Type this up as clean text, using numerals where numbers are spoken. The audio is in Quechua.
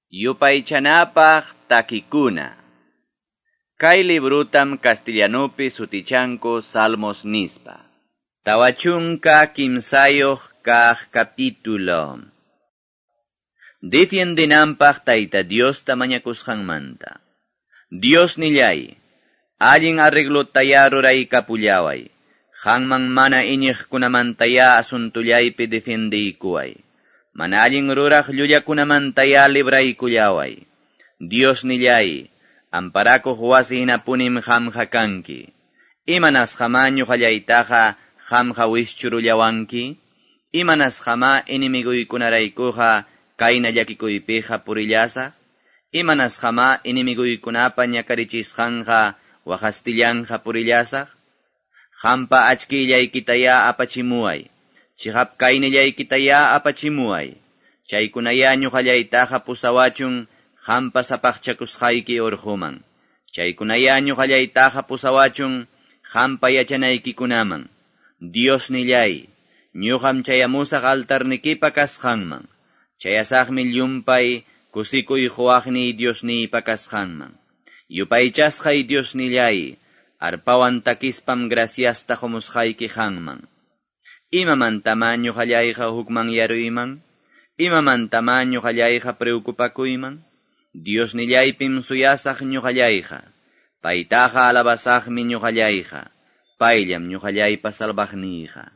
Yupaychanapaq takikuna. Kay librutam castellanupi sutichanku Salmos nispa. 43 kaq capítulo. Defiendinampaq Tayta Diosta mañakusqanmanta. Dios nillay, allin arreglotaya ruraykapullaway. Qanman mana iñiqkunamantaya asuntullaypi defiendiykuway. Mana allin ruraq llullakunamantaya libraykullaway. Dios nillay, amparakuq wasi hinapunim qamqa kanki. Imanasqamá ñuqallaytaqa qamqa wischurullawanki? Imanasqamá enemiguykunaraykuqa kayna llakikuypiqa purillasaq? Imanasqamá enemiguykunapa ñakarichisqanqa waqastillanqa purillasaq? Qampa achkillaykitaya apachimuway. Chiqap kaynillaykitaya apachimuway. Chaykunaya ñuqallaytaqa pusawachun qampa sapaqchakusqayki urquman. Chaykunaya ñuqallaytaqa pusawachun qampa yachanaykikunaman. Dios nillay, ñuqam chayamusaq altarnikipa kasqanman. Chayasaqmi llumpay kusikuy quwaqniy Diosniypa kasqanman. Yupaychasqay Dios nillay, arpawan takispam graciasta qumusqayki qanman. Imamantamá ñuqallayqa hukmanyaruyman? Imamantamá ñuqallayqa preocupakuyman? Dios nillaypim suyasaq ñuqallayqa. Paytaqa alabasaqmi ñuqallayqa. Payllam ñuqallaypa salvaqniyqa.